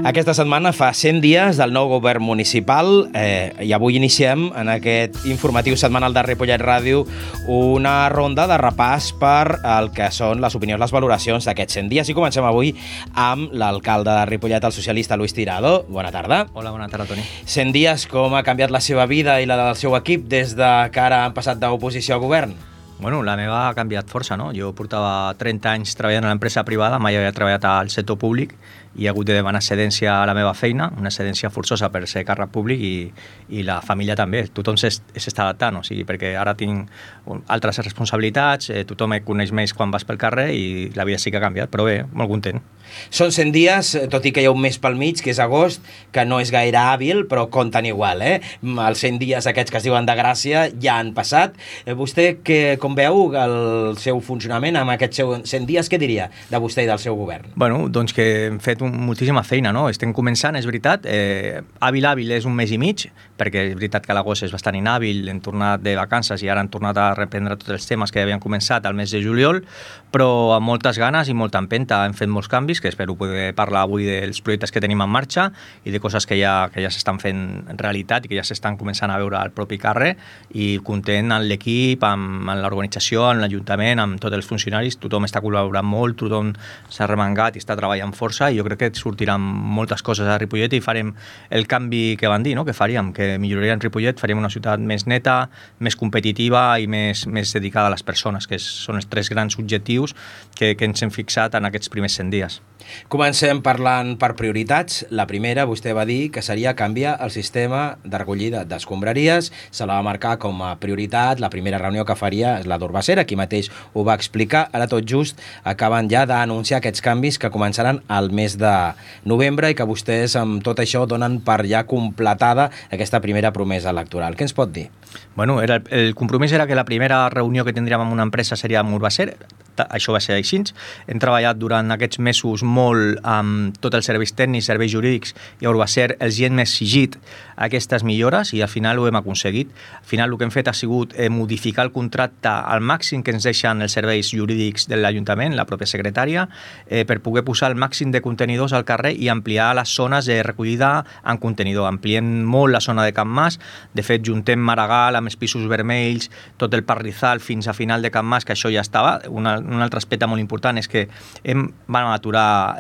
Aquesta setmana fa 100 dies del nou govern municipal i avui iniciem en aquest informatiu setmanal de Ripollet Ràdio una ronda de repàs per el que són les opinions, les valoracions d'aquests 100 dies i comencem avui amb l'alcalde de Ripollet, el socialista Luis Tirado. Bona tarda. Hola, bona tarda, Toni. 100 dies, com ha canviat la seva vida i la del seu equip des de que ara han passat d'oposició a govern? Bueno, la meva ha canviat força, no? Jo portava 30 anys treballant a l'empresa privada, mai havia treballat al sector públic i he hagut de demanar cedència a la meva feina, una cedència forçosa per ser càrrec públic i la família també. Tothom s'està adaptant, o sigui, perquè ara tinc altres responsabilitats, tothom em coneix més quan vas pel carrer i la vida sí que ha canviat, però bé, molt content. Són 100 dies, tot i que hi ha un mes pel mig, que és agost, que no és gaire hàbil, però compten igual, Els 100 dies aquests que es diuen de gràcia ja han passat. Vostè, com veu el seu funcionament amb aquests 100 dies, què diria de vostè i del seu govern? Bueno, doncs que hem fet moltíssima feina, no? Estem començant, és veritat. Hàbil és un mes i mig, perquè és veritat que l'agost és bastant inhàbil, hem tornat de vacances i ara han tornat a reprendre tots els temes que havien començat al mes de juliol, però amb moltes ganes i molta empenta. Hem fet molts canvis, que espero poder parlar avui dels projectes que tenim en marxa i de coses que ja s'estan fent realitat i que ja s'estan començant a veure al propi carrer, i content amb l'equip, amb l'organització, amb l'Ajuntament, amb tots els funcionaris. Tothom està col·laborant molt, tothom s'ha remengat i està treballant força, i jo crec que sortiran moltes coses a Ripollet i farem el canvi que van dir, no? Que faríem, que milloraríem Ripollet, faríem una ciutat més neta, més competitiva i més dedicada a les persones, que són els 3 grans objectius que ens hem fixat en aquests primers 100 dies. Comencem parlant per prioritats. La primera, vostè va dir que seria canviar el sistema de recollida d'escombraries. Se la va marcar com a prioritat. La primera reunió que faria és la d'Urbacer, aquí mateix ho va explicar. Ara tot just acaben ja d'anunciar aquests canvis que començaran al mes de novembre i que vostès amb tot això donen per ja completada aquesta primera promesa electoral. Què ens pot dir? Bueno, el compromís era que la primera reunió que tindríem amb una empresa seria amb Urbacer. Això va ser així. Hem treballat durant aquests mesos molt amb tots els serveis tècnics, serveis jurídics, i a Urbacer els hem exigit aquestes millores i al final ho hem aconseguit. Al final el que hem fet ha sigut modificar el contracte al màxim que ens deixen els serveis jurídics de l'Ajuntament, la pròpia secretària, per poder posar el màxim de contenidors al carrer i ampliar les zones de recollida en contenidor. Ampliem molt la zona de Can Mas. De fet, juntem Maragall amb els pisos vermells, tot el Parrizal fins a final de Can Mas, que això ja estava. Un altre aspecte molt important és que vam aturar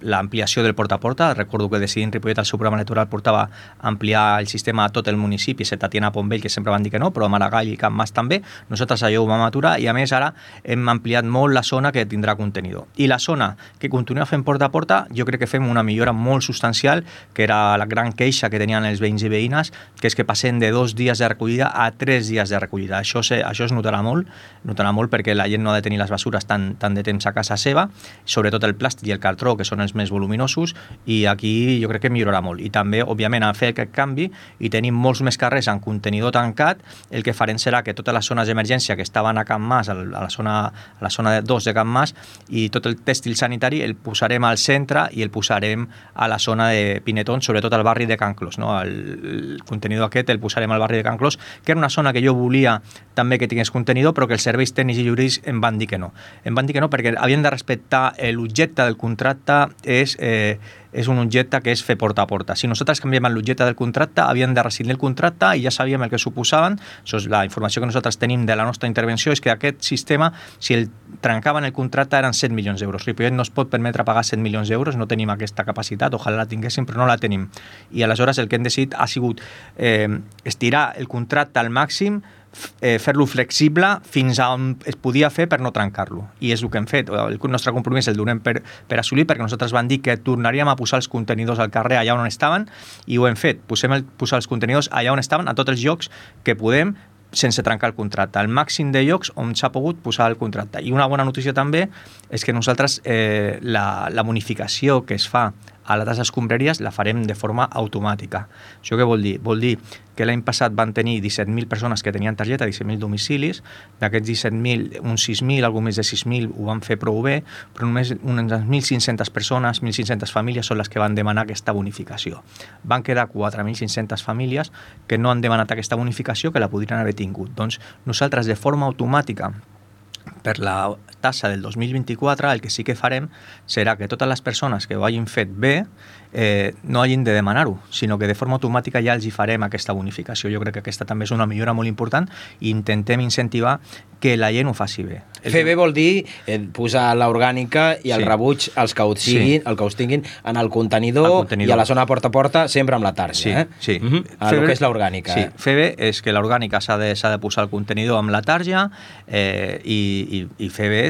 l'ampliació del porta a porta. Recordo que Decidim Ripollet, el seu programa electoral, portava a ampliar el sistema a tot el municipi, excepte Tiana Pombell, que sempre van dir que no, però a Maragall i Can Mas també. Nosaltres allò ho vam aturar i, a més, ara hem ampliat molt la zona que tindrà contenidor. I la zona que continua fent porta a porta, jo crec que fem una millora molt substancial, que era la gran queixa que tenien els veïns i veïnes, que és que passem de 2 dies de recollida a 3 dies de recollida. Això es notarà molt perquè la gent no ha de tenir les bessures tant de temps a casa seva, sobretot el plàstic i el cartró, que són els més voluminosos, i aquí jo crec que millorarà molt. I també, òbviament, a fer aquest canvi i tenim molts més carrers en contenidor tancat, el que farem serà que totes les zones d'emergència que estaven a Can Mas, a la zona 2 de Can Mas, i tot el tèxtil sanitari el posarem al centre i el posarem a la zona de Pinetons, sobretot al barri de Can Clos, no? El contenidor aquest el posarem al barri de Can Clos, que era una zona que jo volia també que tingués contenidor, però que els serveis tècnics i jurídics em van dir que no. Em van dir que no perquè havien de respectar l'objecte del contracte, és un objecte que és fer porta a porta. Si nosaltres canviem l'objecte del contracte, havien de rescindir el contracte i ja sabíem el que suposaven. Això és la informació que nosaltres tenim de la nostra intervenció, és que aquest sistema, si el trencaven el contracte, eren 7 milions d'euros. Ripollet no es pot permetre pagar 7 milions d'euros, no tenim aquesta capacitat, ojalà la tinguéssim, però no la tenim. I aleshores el que hem decidit ha sigut estirar el contracte al màxim, fer-lo flexible fins a on es podia fer per no trencar-lo. I és el que hem fet. El nostre compromís el donem per assolir, perquè nosaltres vam dir que tornaríem a posar els contenidors al carrer allà on estaven, i ho hem fet. Posar els contenidors allà on estaven, a tots els llocs que podem, sense trencar el contracte. Al màxim de llocs on s'ha pogut posar el contracte. I una bona notícia també és que nosaltres la bonificació que es fa a les escombraries la farem de forma automàtica. Això què vol dir? Vol dir que l'any passat van tenir 17.000 persones que tenien targeta, 17.000 domicilis. D'aquests 17.000, uns 6.000, algú més de 6.000 ho van fer prou bé, però només unes 1.500 persones, 1.500 famílies són les que van demanar aquesta bonificació. Van quedar 4.500 famílies que no han demanat aquesta bonificació, que la podrien haver tingut. Doncs nosaltres, de forma automàtica, per la tassa del 2024, el que sí que farem serà que totes les persones que ho hagin fet bé no hagin de demanar-ho, sinó que de forma automàtica ja els hi farem aquesta bonificació. Jo crec que aquesta també és una millora molt important i intentem incentivar que la gent ho faci bé. Fer bé vol dir posar l'orgànica i el rebuig, els que us tinguin en el contenidor i a la zona porta a porta, sempre amb la tarja. Sí. El que és l'orgànica. Sí, fer bé és que l'orgànica s'ha de posar el contenidor amb la tarja i fer bé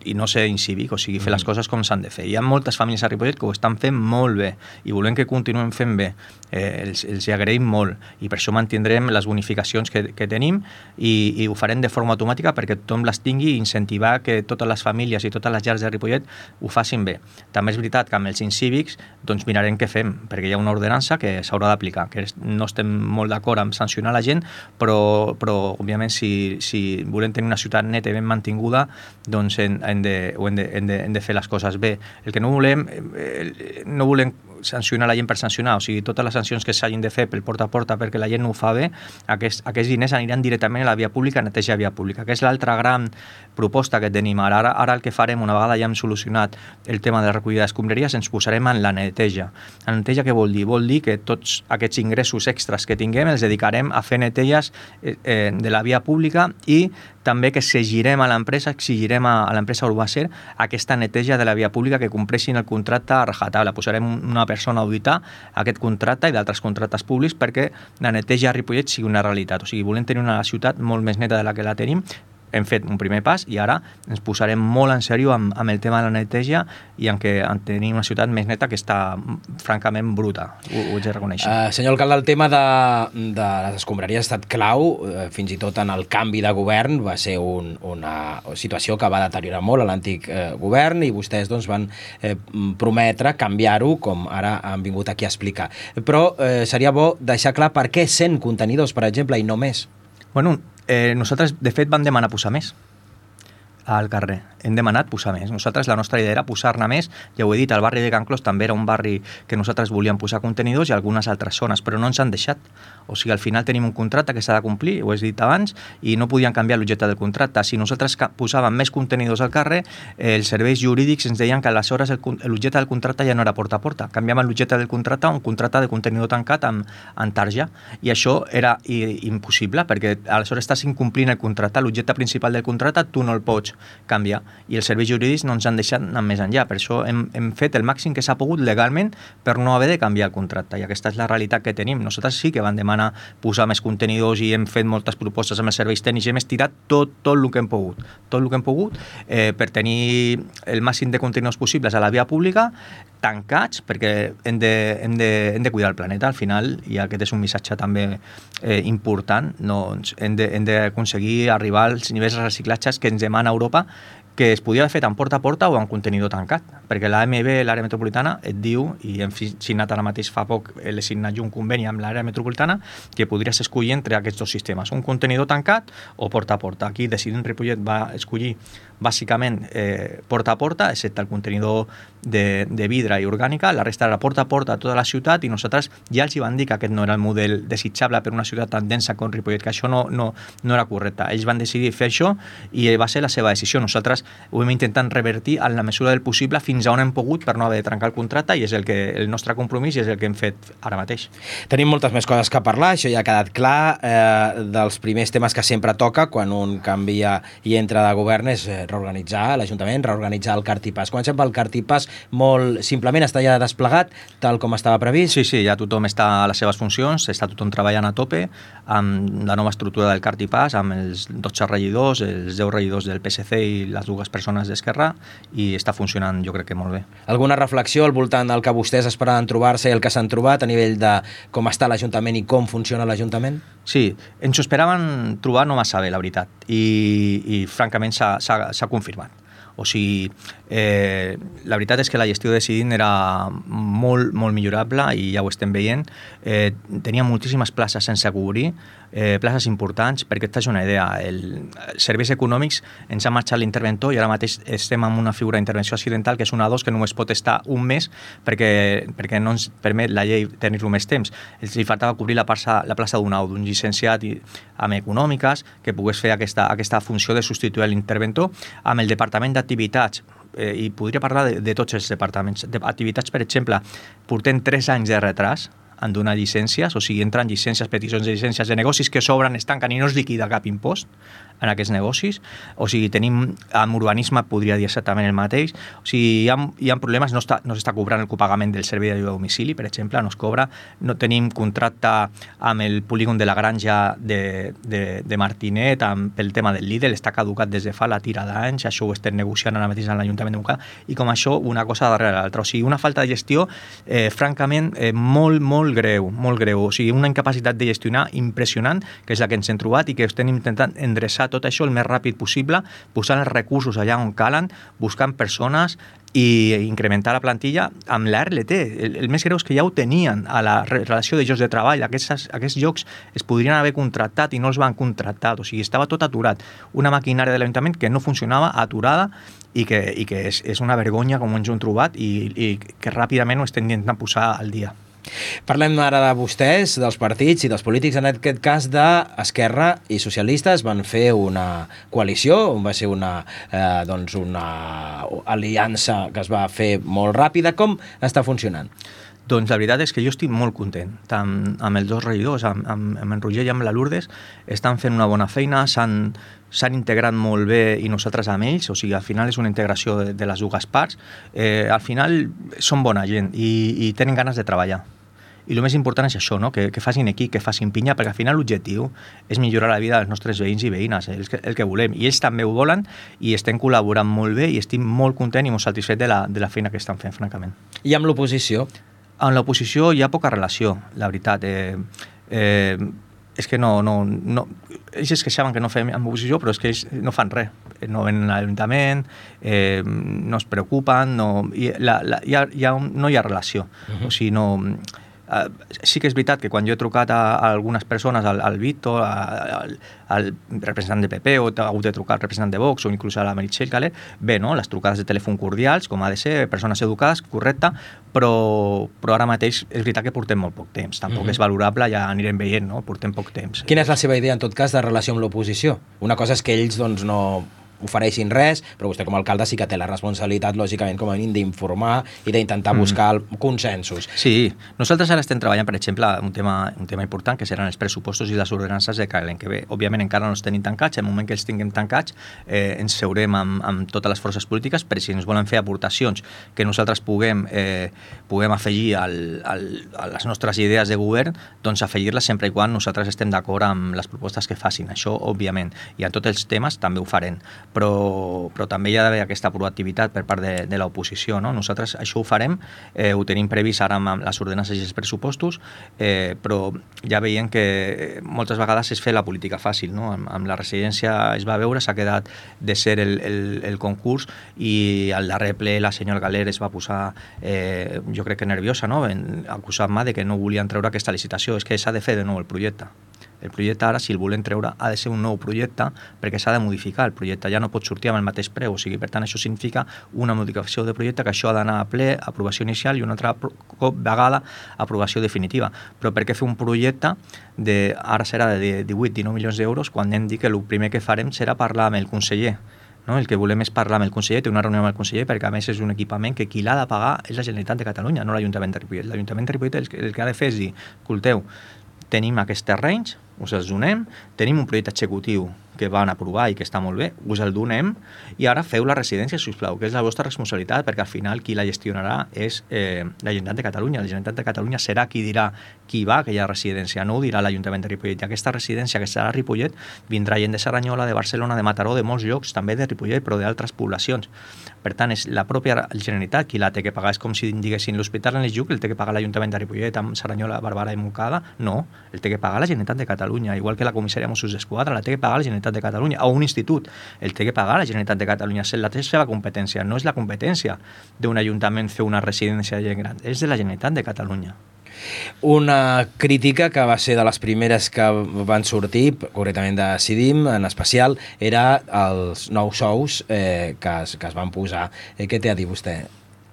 i no ser incívic, o sigui, fer les coses com s'han de fer. Hi ha moltes famílies a Ripollet que ho estan fent molt bé i volem que continuem fent bé. Els hi agraïm molt i per això mantindrem les bonificacions que tenim i ho farem de forma automàtica perquè tothom les tingui i incentivar que totes les famílies i totes les llars de Ripollet ho facin bé. També és veritat que amb els incívics doncs mirarem què fem, perquè hi ha una ordenança que s'haurà d'aplicar, que no estem molt d'acord amb sancionar la gent, però òbviament si volem tenir una ciutat neta i ben mantinguda, doncs hem de fer les coses bé. El que no volem sancionar la gent per sancionar, o sigui, totes les sancions que s'hagin de fer pel porta a porta perquè la gent no ho fa bé, aquests diners aniran directament a la via pública, a netejar via pública, que és l'altra gran proposta que tenim. Ara el que farem, una vegada ja hem solucionat el tema de la recollida d'escombraries, ens posarem en la neteja. La neteja què vol dir? Vol dir que tots aquests ingressos extras que tinguem els dedicarem a fer neteges de la via pública i també que exigirem a l'empresa Urbacer aquesta neteja de la via pública, que compleixin el contracte a rajatabla. Posarem una persona a auditar aquest contracte i d'altres contractes públics perquè la neteja a Ripollet sigui una realitat. O sigui, volem tenir una ciutat molt més neta de la que la tenim. Hem fet un primer pas i ara ens posarem molt en sèrio amb el tema de la neteja i en tenir una ciutat més neta que està francament bruta, ho haig de reconèixer. Senyor alcalde, el tema de les escombraries ha estat clau, fins i tot en el canvi de govern, va ser una situació que va deteriorar molt a l'antic govern i vostès doncs, van prometre canviar-ho, com ara han vingut aquí a explicar. Però seria bo deixar clar per què 100 contenidors, per exemple, i no més. Bueno, nosaltres, de fet, vam demanar posar més al carrer. Hem demanat posar més. Nosaltres, la nostra idea era posar-ne més. Ja ho he dit, el barri de Can Clos també era un barri que nosaltres volíem posar contenidors i algunes altres zones, però no ens han deixat. O sigui, al final tenim un contracte que s'ha de complir, ho he dit abans, i no podien canviar l'objecte del contracte. Si nosaltres posàvem més contenidors al carrer, els serveis jurídics ens deien que aleshores l'objecte del contracte ja no era porta a porta. Canviaven l'objecte del contracte a un contracte de contenidor tancat amb tarja. I això era impossible, perquè aleshores estàs incomplint el contracte. L'objecte principal del contracte tu no el pots canviar. I els serveis jurídics no ens han deixat anar més enllà. Per això hem fet el màxim que s'ha pogut legalment per no haver de canviar el contracte. I aquesta és la realitat que tenim. Nosaltres sí que vam demanar posar més contenidors i hem fet moltes propostes amb els serveis tècnics i hem estirat tot el que hem pogut. Tot el que hem pogut per tenir el màxim de contenidors possibles a la via pública, tancats, perquè hem de cuidar el planeta al final, i aquest és un missatge també important. Hem d'aconseguir arribar als nivells de reciclatges que ens demana Europa, que es podia haver fet en porta a porta o en contenidor tancat, perquè l'AMB, l'àrea metropolitana, et diu, i hem signat ara mateix fa poc, l'he signat un conveni amb l'àrea metropolitana, que podries escollir entre aquests dos sistemes, un contenidor tancat o porta a porta. Aquí Decidint Ripollet va escollir bàsicament porta a porta, excepte el contenidor de vidre i orgànica, la resta era porta a porta a tota la ciutat, i nosaltres ja els hi van dir que aquest no era el model desitjable per una ciutat tan densa com Ripollet, que això no era correcte. Ells van decidir fer això i va ser la seva decisió. Nosaltres ho hem intentat revertir en la mesura del possible fins a on hem pogut per no haver de trencar el contracte, i és el nostre compromís i és el que hem fet ara mateix. Tenim moltes més coses que parlar, això ja ha quedat clar. Dels primers temes que sempre toca quan un canvia i entra de govern és reorganitzar l'Ajuntament, reorganitzar el Cartipàs. Comencem pel Cartipàs, molt simplement, està ja desplegat tal com estava previst? Sí, ja tothom està a les seves funcions, està tothom treballant a tope amb la nova estructura del Cartipàs, amb els 12 regidors, els 10 regidors del PSC i les dues persones d'Esquerra, i està funcionant jo crec que molt bé. Alguna reflexió al voltant del que vostès esperaven trobar-se i el que s'han trobat a nivell de com està l'Ajuntament i com funciona l'Ajuntament? Sí, ens ho esperaven trobar no massa bé, la veritat, i francament s'ha confirmat. O sigui, la veritat és que la gestió de Decidint era molt, molt millorable i ja ho estem veient. Tenia moltíssimes places sense cobrir, places importants, perquè et faig una idea. Els serveis econòmics ens ha marxat l'interventor i ara mateix estem amb una figura d'intervenció accidental que és una 2 que només pot estar un mes perquè no ens permet la llei tenir-lo més temps. Els faltava cobrir la plaça d'un llicenciat amb econòmiques que pogués fer aquesta funció de substituir l'interventor. Amb el Departament d'Activitats, i podria parlar de tots els departaments d'activitats, per exemple, portem 3 anys de retras en donar llicències, o sigui, entren llicències, peticions de llicències de negocis que s'obren, es tanquen i no es liquida cap impost en aquests negocis. O sigui, tenim, amb urbanisme podria dir exactament el mateix. O sigui, hi ha problemes, no s'està cobrant el copagament del servei d'ajuda a domicili, per exemple, no es cobra, no tenim contracte amb el polígon de la Granja de Martinet pel tema del Lidl, està caducat des de fa la tira d'anys, això ho estem negociant ara mateix en l'Ajuntament de Montcada, i com això, una cosa darrere l'altra. O sigui, una falta de gestió, francament, molt greu. O sigui, una incapacitat de gestionar impressionant, que és la que ens hem trobat i que estem intentant endreçar tot això el més ràpid possible, posant els recursos allà on calen, buscant persones i incrementar la plantilla amb la RLT. El més greu és que ja ho tenien a la relació de llocs de treball. Aquests llocs es podrien haver contractat i no els van contractar. O sigui, estava tot aturat. Una maquinària de l'Ajuntament que no funcionava, aturada, i que és una vergonya com ens ho hem trobat i que ràpidament ho estem intentant posar al dia. Parlem ara de vostès, dels partits i dels polítics, en aquest cas d'Esquerra i Socialistes. Van fer una coalició, va ser una aliança que es va fer molt ràpida. Com està funcionant? Doncs la veritat és que jo estic molt content, tant amb els dos regidors, amb en Roger i amb la Lourdes, estan fent una bona feina, s'han integrat molt bé i nosaltres amb ells, o sigui, al final és una integració de les dues parts. Al final són bona gent i tenen ganes de treballar. I el més important és això, no? que facin equip, que facin pinya, perquè al final l'objectiu és millorar la vida dels nostres veïns i veïnes, el que volem. I ells també ho volen i estem col·laborant molt bé i estic molt content i molt satisfet de la feina que estan fent, francament. I amb l'oposició? Amb l'oposició hi ha poca relació, la veritat. És que no ells es queixaven que no fem amb oposició, però és que ells no fan res, no venen a l'Ajuntament, no es preocupen, no hi ha relació. O sigui, sí que és veritat que quan jo he trucat a algunes persones, al Víctor, al representant de PP, o he hagut de trucar al representant de Vox, o inclús a la Meritxell Caler, bé, no? Les trucades de telèfon cordials, com ha de ser, persones educades, correcte, però ara mateix és veritat que portem molt poc temps. Tampoc és valorable, ja anirem veient, no? Portem poc temps. Quina és la seva idea, en tot cas, de relació amb l'oposició? Una cosa és que ells doncs, no ofereixin res, però vostè com a alcalde sí que té la responsabilitat, lògicament, com a mínim, d'informar i d'intentar buscar consensos. Sí, nosaltres ara estem treballant, per exemple, un tema important, que seran els pressupostos i les ordenances de l'any que ve. Òbviament encara no els tenim tancats, en el moment que els tinguem tancats ens seurem amb totes les forces polítiques, per si ens volen fer aportacions que nosaltres puguem afegir a les nostres idees de govern, doncs afegir-les sempre i quan nosaltres estem d'acord amb les propostes que facin. Això, òbviament, i en tots els temes també ho farem. Però també hi ha d'haver aquesta proactivitat per part de l'oposició, no? Nosaltres això ho farem, ho tenim previst ara amb les ordenances i els pressupostos, però ja veiem que moltes vegades es fa la política fàcil, no? Amb la residència es va veure, s'ha quedat de ser el concurs i al darrer ple la senyora Galer es va posar, jo crec que nerviosa, no? Acusant-me de que no volien treure aquesta licitació. És que s'ha de fer de nou el projecte. El projecte ara, si el volem treure, ha de ser un nou projecte perquè s'ha de modificar. El projecte ja no pot sortir amb el mateix preu, o sigui, per tant, això significa una modificació de projecte que això ha d'anar a ple, aprovació inicial i una altra vegada aprovació definitiva. Però per què fer un projecte ara serà de 18-19 milions d'euros quan hem dit que el primer que farem serà parlar amb el conseller? No? El que volem és parlar amb el conseller, té una reunió amb el conseller, perquè a més és un equipament que qui l'ha de pagar és la Generalitat de Catalunya, no l'Ajuntament de Ripollet. L'Ajuntament de Ripollet el que ha de fer és dir, escolteu, tenim aquests terrenys, us els donem, tenim un projecte executiu que van aprovar i que està molt bé, us el donem i ara feu la residència, sisplau, que és la vostra responsabilitat, perquè al final qui la gestionarà és la Generalitat de Catalunya. La Generalitat de Catalunya serà qui dirà qui va a aquella residència, no ho dirà l'Ajuntament de Ripollet. I aquesta residència que serà a Ripollet vindrà gent de Cerdanyola, de Barcelona, de Mataró, de molts llocs, també de Ripollet, però d'altres poblacions. Per tant, és la pròpia Generalitat qui la té que pagar. És com si diguessin l'Hospital en Lluc el té que pagar l'Ajuntament de Ripollet amb Cerdanyola, Barberà i Montcada. No, el té que pagar la Generalitat de Catalunya, igual que la comissaria Mossos d'Esquadra, la té que pagar la Generalitat Generalitat de Catalunya, o un institut, el té que pagar la Generalitat de Catalunya, és la seva competència, no és la competència d'un ajuntament fer una residència de gent gran, és de la Generalitat de Catalunya. Una crítica que va ser de les primeres que van sortir, concretament de Decidim, en especial, era els nous sous que es van posar. Què té a dir vostè?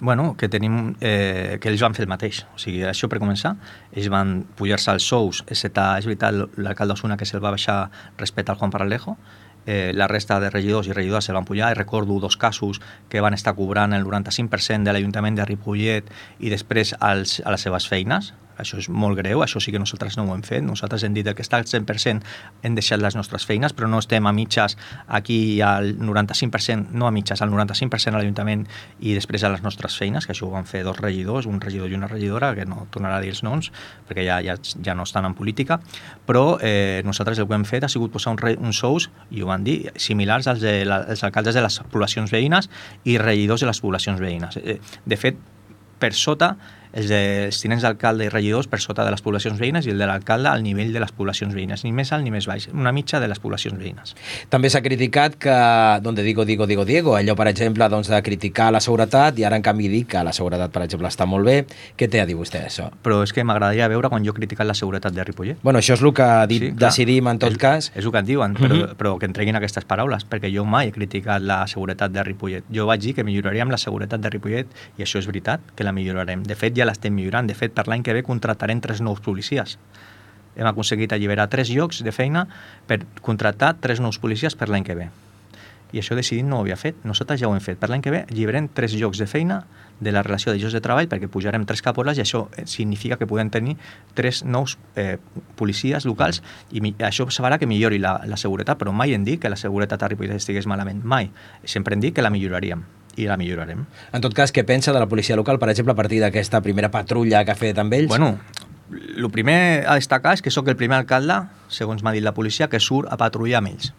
Bueno, que tenim que ells van fer el mateix. O sigui, això per començar, ells van pujar-se els sous, excepte, és veritat, l'alcalde d'Osuna que se'l va baixar respecte al Juan Paralejo, la resta de regidors i regidores se'l van pujar, i recordo 2 casos que van estar cobrant el 95% de l'Ajuntament de Ripollet i després a les seves feines. Això és molt greu, això sí que nosaltres no ho hem fet. Nosaltres hem dit que està al 100% hem deixat les nostres feines, però no estem a mitges aquí al 95%, no a mitges, al 95% a l'Ajuntament i després a les nostres feines, que això ho van fer 2 regidors, un regidor i una regidora, que no tornarà a dir els noms, perquè ja no estan en política, però nosaltres el que hem fet ha sigut posar uns sous, i ho van dir, similars als alcaldes de les poblacions veïnes i regidors de les poblacions veïnes. De fet, per sota, els tinents d'alcalde i regidors per sota de les poblacions veïnes i el de l'alcalde al nivell de les poblacions veïnes, ni més alt ni més baix, una mitja de les poblacions veïnes. També s'ha criticat que, donde digo, allò, per exemple, doncs, de criticar la seguretat, i ara, en canvi, dir que la seguretat, per exemple, està molt bé. Què té a dir vostè, això? Però és que m'agradaria veure quan jo he criticat la seguretat de Ripollet. Bueno, això és el que ha dit, sí, Decidim, en tot cas. És el que en diuen, però que en treguin aquestes paraules, perquè jo mai he criticat la seguretat de Ripollet. Jo vaig dir que milloraríem la seguretat de Ripollet, i això és veritat, que la millorarem. De fet, ja l'estem millorant. De fet, per l'any que ve contractarem 3 nous policies. Hem aconseguit alliberar 3 llocs de feina per contractar 3 nous policies per l'any que ve. I això Decidim no ho havia fet. Nosaltres ja ho hem fet. Per l'any que ve alliberem 3 llocs de feina de la relació de llocs de treball, perquè pujarem 3 caporals, i això significa que podem tenir 3 nous policies locals, i això farà que millori la seguretat, però mai hem dit que la seguretat a Ripollet estigués malament. Mai. Sempre hem dit que la milloraríem. I la millorarem. En tot cas, què pensa de la policia local, per exemple, a partir d'aquesta primera patrulla que ha fet amb ells? Bueno, el primer a destacar és que sóc el primer alcalde, segons m'ha dit la policia, que surt a patrullar amb ells.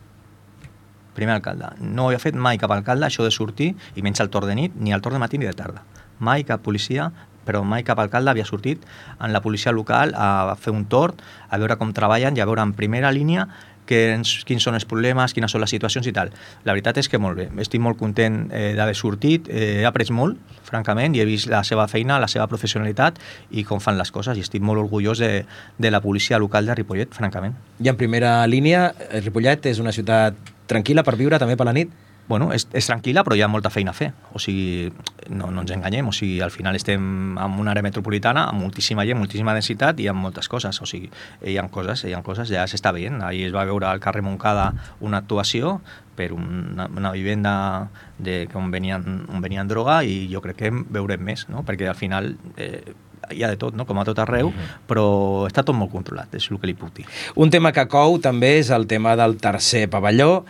Primer alcalde. No ho havia fet mai cap alcalde, això de sortir, i menys al torn de nit, ni al torn de matí ni de tarda. Mai cap policia, però mai cap alcalde havia sortit en la policia local a fer un torn, a veure com treballen i a veure en primera línia quins són els problemes, quines són les situacions i tal. La veritat és que molt bé. Estic molt content d'haver sortit, he après molt, francament, i he vist la seva feina, la seva professionalitat i com fan les coses, i estic molt orgullós de la policia local de Ripollet, francament. I en primera línia, Ripollet és una ciutat tranquil·la per viure també per la nit? Bueno, és tranquil·la, però hi ha molta feina a fer. O sigui, no ens enganyem. O sigui, al final estem en una àrea metropolitana amb moltíssima gent, moltíssima densitat i amb moltes coses. O sigui, hi ha coses, ja s'està veient. Ahir es va veure al carrer Montcada una actuació per una vivenda on venien droga, i jo crec que en veurem més, no? Perquè al final hi ha de tot, no? Com a tot arreu, però està tot molt controlat, és el que li puc dir. Un tema que cou també és el tema del tercer pavelló.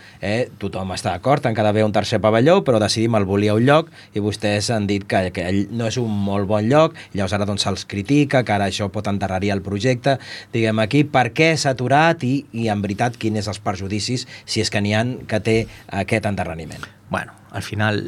Tothom està d'acord en que ha d'haver un tercer pavelló, però Decidim el volia un lloc, i vostès han dit que ell no és un molt bon lloc, llavors ara doncs se'ls critica, que ara això pot enterrar-hi el projecte. Diguem aquí, per què s'ha aturat i en veritat quins són els perjudicis, si és que n'hi ha, que té aquest enterrament? Bueno, al final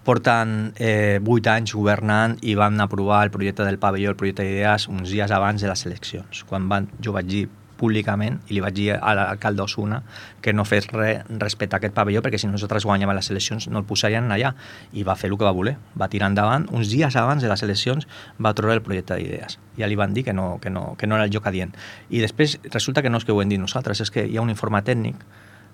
porten 8 anys governant i van aprovar el projecte del pavelló, el projecte d'idees, uns dies abans de les eleccions. Quan jo vaig dir públicament, i li vaig dir a l'alcalde d'Osuna que no fes res respecte a aquest pavelló, perquè si nosaltres guanyàvem les eleccions no el posarien allà, i va fer el que va voler. Va tirar endavant, uns dies abans de les eleccions va treure el projecte d'idees. Ja li van dir que no era el lloc adient. I després resulta que no és que ho hem dit nosaltres, és que hi ha un informe tècnic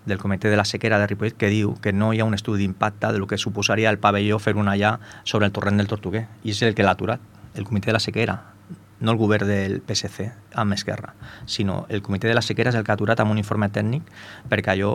del Comitè de la Sequera de Ripollet que diu que no hi ha un estudi d'impacte del que suposaria el pavelló fer un allà sobre el torrent del Tortuguer, i és el que l'ha aturat, el Comitè de la Sequera, no el govern del PSC amb Esquerra, sinó el Comitè de la Sequera és el que ha aturat amb un informe tècnic perquè allò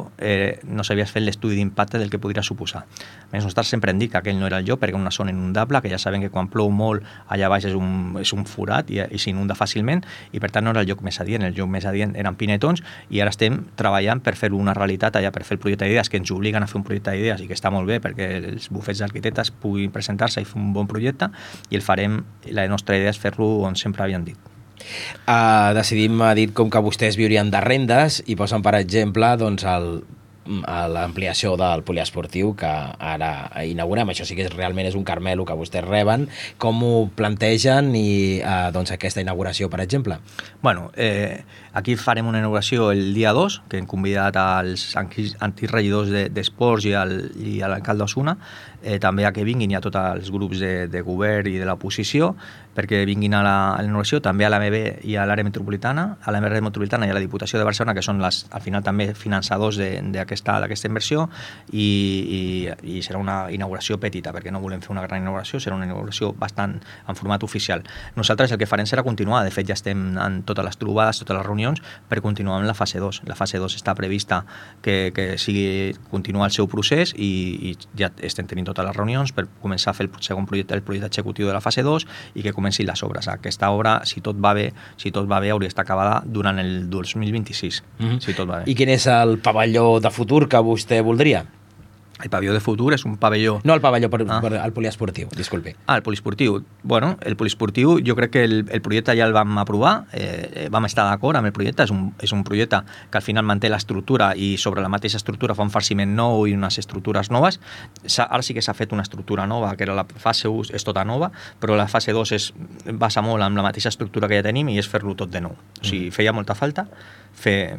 no s'havia fet l'estudi d'impacte del que podria suposar. Nosaltres sempre hem dit que aquell no era el lloc perquè és una zona inundable, que ja sabem que quan plou molt allà baix és un forat i s'inunda fàcilment, i per tant no era el lloc més adient. El lloc més adient eren pinetons, i ara estem treballant per fer una realitat allà, per fer el projecte d'idees, que ens obliguen a fer un projecte d'idees i que està molt bé perquè els bufets d'arquitectes puguin presentar-se i fer un bon projecte, i el farem. La nostra idea és fer-lo on sempre havien dit. Decidim ha dit com que vostès viurien de rendes, i posen per exemple doncs, l'ampliació del poliesportiu que ara inaugurem. Això sí que realment és un carmelo que vostès reben. Com ho plantegen i doncs aquesta inauguració, per exemple? Bueno, aquí farem una inauguració el dia 2, que hem convidat als antics regidors d'esports i l'alcalde Osuna, també a que vinguin i a tots els grups de govern i de l'oposició, perquè vinguin a la inauguració, també a l'AMB i a l'àrea metropolitana, a l'àrea metropolitana i a la Diputació de Barcelona, que són al final també finançadors d'aquesta inversió, i serà una inauguració petita, perquè no volem fer una gran inauguració, serà una inauguració bastant en format oficial. Nosaltres el que farem serà continuar, de fet ja estem en totes les trobades, totes les reunions, per continuar amb la fase 2. La fase 2 està prevista que continuar el seu procés i ja estem tenint totes les reunions per començar a fer el segon projecte, el projecte executiu de la fase 2 i que comencin les obres. Aquesta obra, si tot va bé, hauria d'estar acabada durant el 2026, si tot va bé. I quin és el pavelló de futur que vostè voldria? El pavelló de futur és un pavelló... No el pavelló, el poliesportiu, disculpi. El poliesportiu. Bueno, el poliesportiu, jo crec que el projecte ja el vam aprovar, vam estar d'acord amb el projecte, és un projecte que al final manté l'estructura i sobre la mateixa estructura fa un farciment nou i unes estructures noves. Ara sí que s'ha fet una estructura nova, que era la fase 1, és tota nova, però la fase 2 basa molt amb la mateixa estructura que ja tenim i és fer-lo tot de nou. O sigui, feia molta falta fer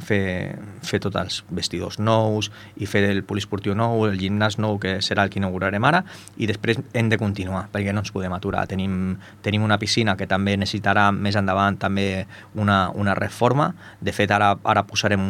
tots els vestidors nous i fer el poliesportiu nou, el gimnàs nou, que serà el que inaugurarem ara, i després hem de continuar, perquè no ens podem aturar. Tenim una piscina que també necessitarà més endavant també una reforma. De fet, ara posarem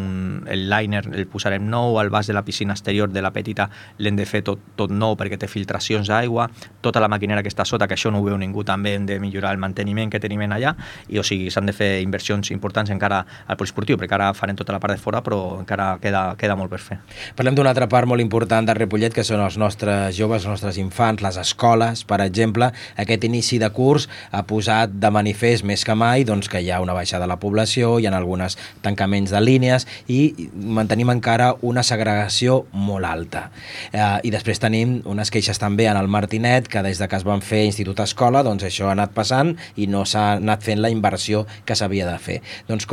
el liner, el posarem nou, el vas de la piscina exterior de la petita l'hem de fer tot nou perquè té filtracions d'aigua, tota la maquinera que està sota, que això no ho veu ningú, també hem de millorar el manteniment que tenim allà, i o sigui, s'han de fer inversions importants encara al poliesportiu, perquè ara farem tota la part de fora, però encara queda molt per fer. Parlem d'una altra part molt important de Ripollet, que són els nostres joves, els nostres infants, les escoles, per exemple. Aquest inici de curs ha posat de manifest més que mai doncs, que hi ha una baixada de la població, hi ha alguns tancaments de línies i mantenim encara una segregació molt alta. I després tenim unes queixes també en el Martinet, que des que es van fer institut-escola, doncs això ha anat passant i no s'ha anat fent la inversió que s'havia de fer. Doncs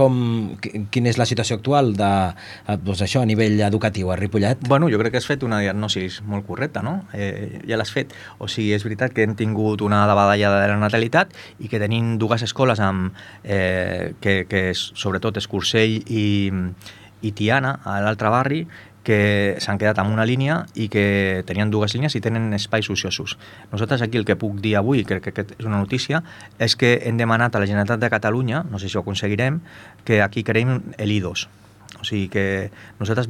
quina és la situació actual això a nivell educatiu a Ripollet? Bueno, jo crec que has fet una diagnosi molt correcta, no? Ja l'has fet. O sigui, és veritat que hem tingut una davallada de la natalitat i que tenim dues escoles que sobretot Escursell i Tiana, a l'altre barri, que s'han quedat amb una línia i que tenien dues línies i tenen espais ociosos. Nosaltres aquí el que puc dir avui, crec que és una notícia, és que hem demanat a la Generalitat de Catalunya, no sé si ho aconseguirem, que aquí creem l'I2. O sigui que nosaltres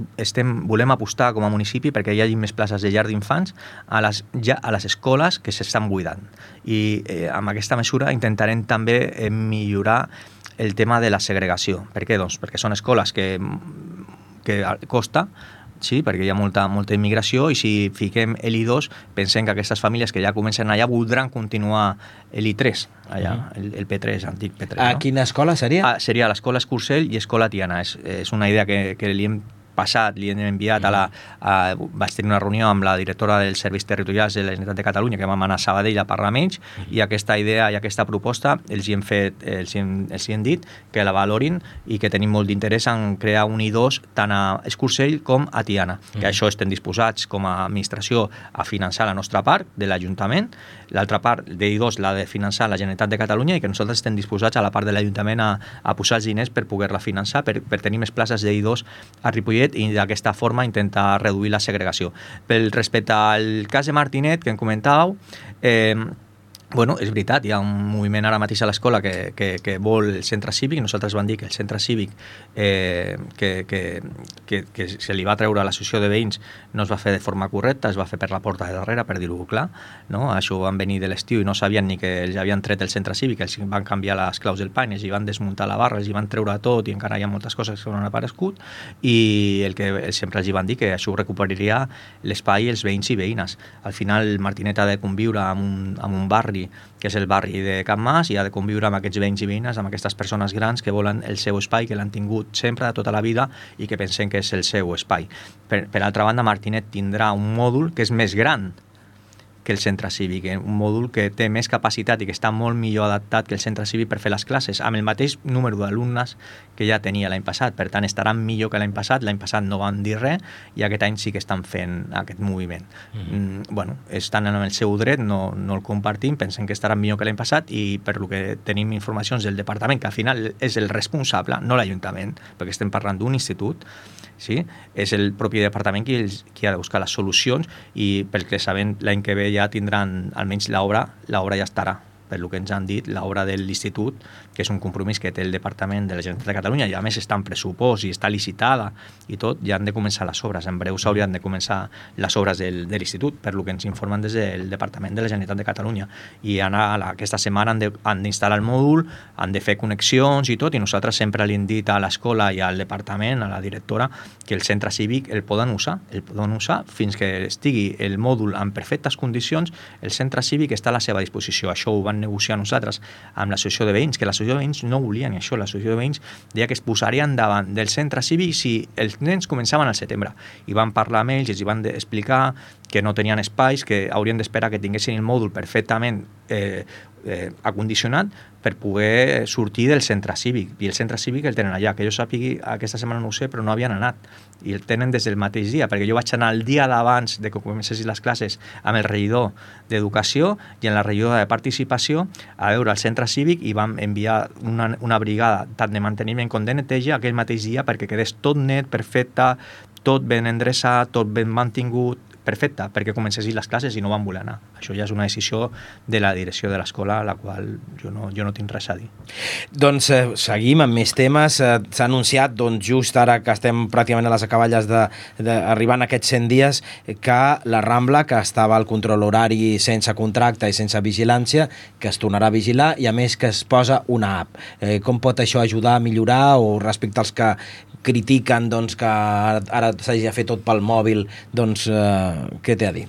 volem apostar com a municipi perquè hi hagi més places de llar d'infants a les escoles que s'estan buidant. I amb aquesta mesura intentarem també millorar el tema de la segregació. Per què? Doncs perquè són escoles que costa, sí, perquè hi ha molta immigració, i si fiquem l'I2 pensem que aquestes famílies que ja comencen allà voldran continuar l'I3, allà, el P3, antic P3. A quina escola seria? Seria l'escola Escursell i escola Tiana. És una idea que li hem passat, li hem enviat vaig tenir una reunió amb la directora dels serveis territorials de la Generalitat de Catalunya, que vam anar a Sabadell a parlar amb ells, i aquesta idea i aquesta proposta els hem dit que la valorin i que tenim molt d'interès en crear un I2 tant a Escursell com a Tiana, que això estem disposats com a administració a finançar la nostra part de l'Ajuntament, l'altra part de I2 l'ha de finançar la Generalitat de Catalunya, i que nosaltres estem disposats a la part de l'Ajuntament a posar els diners per poder-la finançar, per tenir més places de I2 a Ripollet i d'aquesta forma intentar reduir la segregació. Respecte al cas de Martinet que em comentàveu, bueno, és veritat, hi ha un moviment ara mateix a l'escola que vol el centre cívic. Nosaltres vam dir que el centre cívic que se li va treure a l'associació de veïns no es va fer de forma correcta, es va fer per la porta de darrere, per dir-ho clar, no? Això van venir de l'estiu i no sabien ni que els havien tret el centre cívic, els van canviar les claus del pany, els hi van desmuntar la barra, els hi van treure tot, i encara hi ha moltes coses que no han aparegut, i el que sempre els hi van dir que això ho recuperaria l'espai els veïns i veïnes. Al final Martinet ha de conviure amb un barri que és el barri de Can Mas, i ha de conviure amb aquests veïns i veïnes, amb aquestes persones grans que volen el seu espai, que l'han tingut sempre de tota la vida i que pensen que és el seu espai. Per altra banda, Martinet tindrà un mòdul que és més gran, que el centre cívic, un mòdul que té més capacitat i que està molt millor adaptat que el centre cívic per fer les classes, amb el mateix número d'alumnes que ja tenia l'any passat. Per tant, estaran millor que l'any passat. L'any passat no van dir res i aquest any sí que estan fent aquest moviment. Bueno, estan en el seu dret, no el compartim, pensen que estaran millor que l'any passat i per lo que tenim informacions del departament, que al final és el responsable, no l'Ajuntament, perquè estem parlant d'un institut, sí? És el propi departament qui ha de buscar les solucions i pel que sabem l'any que ve ja tindran almenys l'obra ja estarà, per el que ens han dit, l'obra de l'institut, que és un compromís que té el Departament de la Generalitat de Catalunya i a més està en pressupost i està licitada i tot, ja han de començar les obres. En breu s'haurien de començar les obres de l'institut, per el que ens informen des del Departament de la Generalitat de Catalunya. I aquesta setmana han d'instal·lar el mòdul, han de fer connexions i tot, i nosaltres sempre li hem dit a l'escola i al departament, a la directora, que el centre cívic el poden usar fins que estigui el mòdul en perfectes condicions. El centre cívic està a la seva disposició. Això ho van negociar nosaltres amb l'associació de veïns, que l'associació de veïns no volien això. L'associació de veïns deia que es posarien davant del centre cívic si els nens començaven al setembre. I van parlar amb ells i els van explicar que no tenien espais, que haurien d'esperar que tinguessin el mòdul perfectament acondicionat per poder sortir del centre cívic. I el centre cívic el tenen allà, que jo sàpigui, aquesta setmana no ho sé, però no havien anat. I el tenen des del mateix dia, perquè jo vaig anar el dia d'abans de que comencessin les classes amb el regidor d'Educació i en la regidora de Participació a veure el centre cívic i vam enviar una brigada tant de manteniment com de neteja aquell mateix dia perquè quedés tot net, perfecte, tot ben endreçat, tot ben mantingut, perfecte, perquè comencessin les classes i no van voler anar. Això ja és una decisió de la direcció de l'escola, a la qual jo no tinc res a dir. Doncs seguim amb més temes. S'ha anunciat, doncs, just ara que estem pràcticament a les acaballes arribant a aquests 100 dies, que la Rambla, que estava al control horari sense contracte i sense vigilància, que es tornarà a vigilar i a més que es posa una app. Com pot això ajudar a millorar o respecte als que critiquen doncs, que ara s'hagi de fer tot pel mòbil, doncs què té a dir?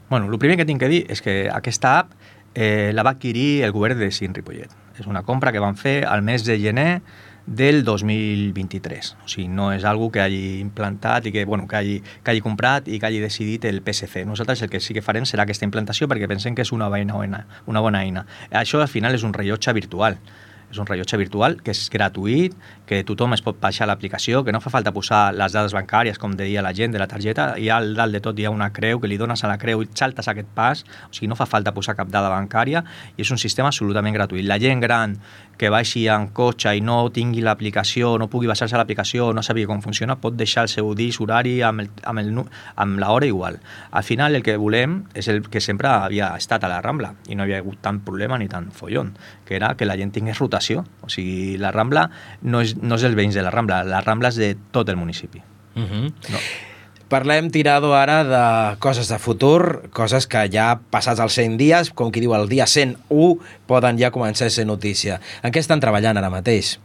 Bueno, el primer que tinc que dir és que aquesta app la va adquirir el govern de Cint Ripollet. És una compra que van fer al mes de gener del 2023. O sigui, no és algo que hagi implantat i que hagi comprat i que hagi decidit el PSC. Nosaltres el que sí que farem serà aquesta implantació perquè pensem que és una bona eina. Això al final és un rellotge virtual. És un rellotge virtual que és gratuït, que tothom es pot baixar l'aplicació, que no fa falta posar les dades bancàries, com deia la gent de la targeta, i al dalt de tot hi ha una creu, que li dones a la creu i saltes aquest pas, o sigui, no fa falta posar cap dada bancària, i és un sistema absolutament gratuït. La gent gran que baixi en cotxe i no tingui l'aplicació, no pugui baixar-se a l'aplicació, no sàpiga com funciona, pot deixar el seu disc horari amb l'hora igual. Al final el que volem és el que sempre havia estat a la Rambla, i no havia hagut tant problema ni tant follon, que era que la gent tingués rotació. O sigui, la Rambla no és els veïns de la Rambla és de tot el municipi. No. Parlem, Tirado, ara de coses de futur, coses que ja passats els 100 dies, com qui diu el dia 101, poden ja començar a ser notícia. En què estan treballant ara mateix?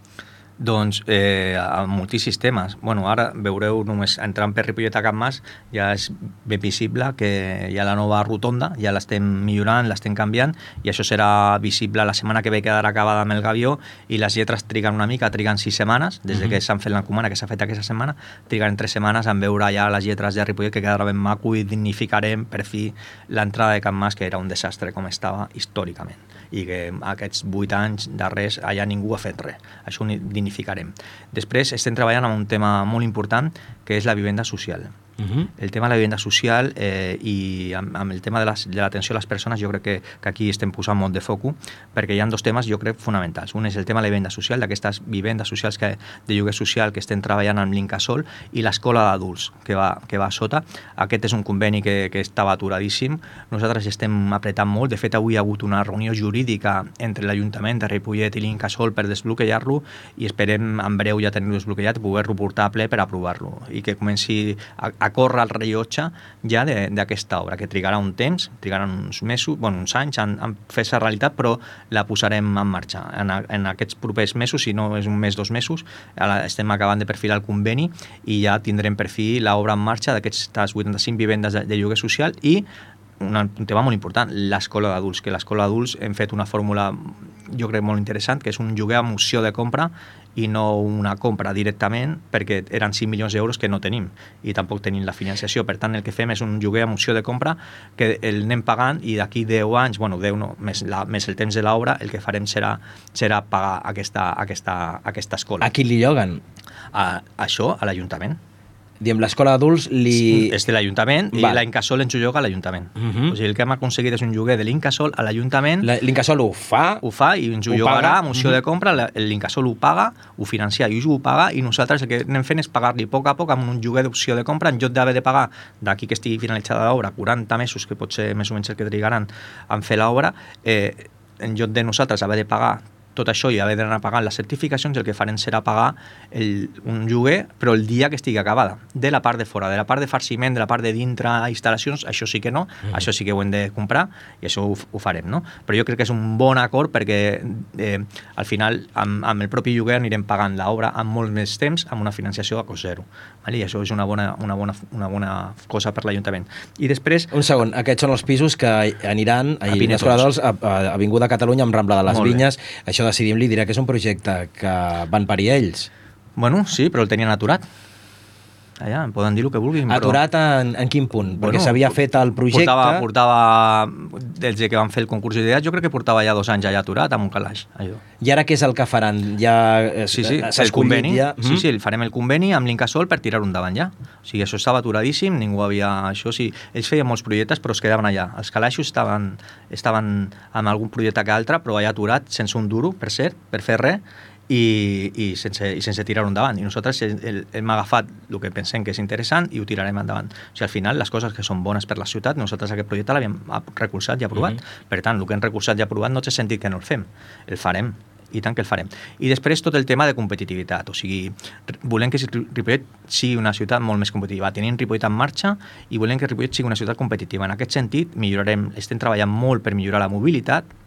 Doncs amb moltíssims temes. Bueno, ara veureu, només entrant per Ripollet a Can Mas ja és ben visible que hi ha la nova rotonda, ja l'estem millorant, l'estem canviant, i això serà visible la setmana que ve, quedarà acabada amb el gavió, i les lletres triguen una mica, triguen 6 setmanes, des de que s'han fet l'encomanda, que s'ha fet aquesta setmana, triguen 3 setmanes en veure ja les lletres de Ripollet, que quedarà ben maco, i dignificarem per fi l'entrada de Can Mas, que era un desastre com estava històricament, i que aquests 8 anys darrers allà ningú ha fet res. Això ho dignificarem. Després estem treballant amb un tema molt important, que és la vivenda social. El tema de la vivenda social i amb el tema de l'atenció a les persones, jo crec que aquí estem posant molt de foco, perquè hi ha 2 temes, jo crec, fonamentals. Un és el tema de la vivenda social, d'aquestes vivendes socials de lloguer social que estem treballant amb l'Incasòl, i l'escola d'adults que va a sota. Aquest és un conveni que estava aturadíssim. Nosaltres estem apretant molt. De fet, avui hi ha hagut una reunió jurídica entre l'Ajuntament de Ripollet i l'Incasòl per desbloquejar-lo, i esperem en breu ja tenir-lo desbloquejat i poder-lo portar a ple per aprovar-lo, i que comenci a córrer el rellotge ja d'aquesta obra, que trigarà un temps, trigarà uns mesos, uns anys en fer-se realitat, però la posarem en marxa. En aquests propers mesos, si no és un mes, 2 mesos, estem acabant de perfilar el conveni i ja tindrem per fi l'obra en marxa d'aquestes 85 vivendes de lloguer social, i un tema molt important, l'escola d'adults, que l'escola d'adults hem fet una fórmula, jo crec, molt interessant, que és un lloguer amb opció de compra i no una compra directament, perquè eren 5 milions d'euros que no tenim i tampoc tenim la financiació. Per tant, el que fem és un lloguer amb opció de compra que el anem pagant i d'aquí 10 anys, bueno, 10 no, més el temps de l'obra, el que farem serà pagar aquesta escola. A qui li lloguen? Això a l'Ajuntament. Diem, l'escola d'adults és de l'Ajuntament i l'Incasol ens ho lloga a l'Ajuntament. O sigui, el que hem aconseguit és un lloguer de l'Incasol a l'Ajuntament. L'Incasol ho fa i ens ho llogarà amb opció de compra, l'Incasol ho paga, ho financia i ho paga, i nosaltres el que anem fent és pagar-li a poc amb un lloguer d'opció de compra, en lloc d'haver de pagar d'aquí que estigui finalitzada l'obra 40 mesos, que pot ser més o menys el que trigaran en fer l'obra, en lloc de nosaltres haver de pagar tot això i haver d'anar pagant les certificacions, el que farem serà pagar un lloguer, però el dia que estigui acabada, de la part de fora, de la part de farciment, de la part de dintre instal·lacions, això sí que no, això sí que ho hem de comprar i això ho farem, no? Però jo crec que és un bon acord perquè al final amb el propi lloguer anirem pagant l'obra amb molt més temps, amb una financiació a cost zero, i això és una bona cosa per l'Ajuntament. I després... Un segon, aquests són els pisos que aniran a l'Escola d'Adults a Avinguda Catalunya amb Rambla de les Vinyes. Això Decidim li diré que és un projecte que van parir ells. Bueno, sí, però el tenien aturat. Allà, em poden dir el que vulguin. Aturat en quin punt? Perquè s'havia fet el projecte... Portava des que van fer el concurs d'idees, jo crec que portava ja 2 anys allà aturat amb un calaix. Allò. I ara què és el que faran? Ja el conveni. Ja? Sí, farem el conveni amb l'Incasol per tirar-ho endavant ja. O sigui, això estava aturadíssim, ningú havia... Això sí, ells feien molts projectes, però es quedaven allà. Els calaixos estaven amb algun projecte que altre, però allà aturat, sense un duro, per cert, per fer res, i sense tirar-ho endavant. I nosaltres hem agafat el que pensem que és interessant i ho tirarem endavant. O sigui, al final, les coses que són bones per la ciutat, nosaltres aquest projecte l'havíem recolzat i aprovat. Per tant, el que hem recolzat i aprovat no té sentit que no el fem. El farem. I tant que el farem. I després tot el tema de competitivitat, o sigui, volem que Ripollet sigui una ciutat molt més competitiva. Tenim Ripollet en marxa i volem que Ripollet sigui una ciutat competitiva. En aquest sentit, estem treballant molt per millorar la mobilitat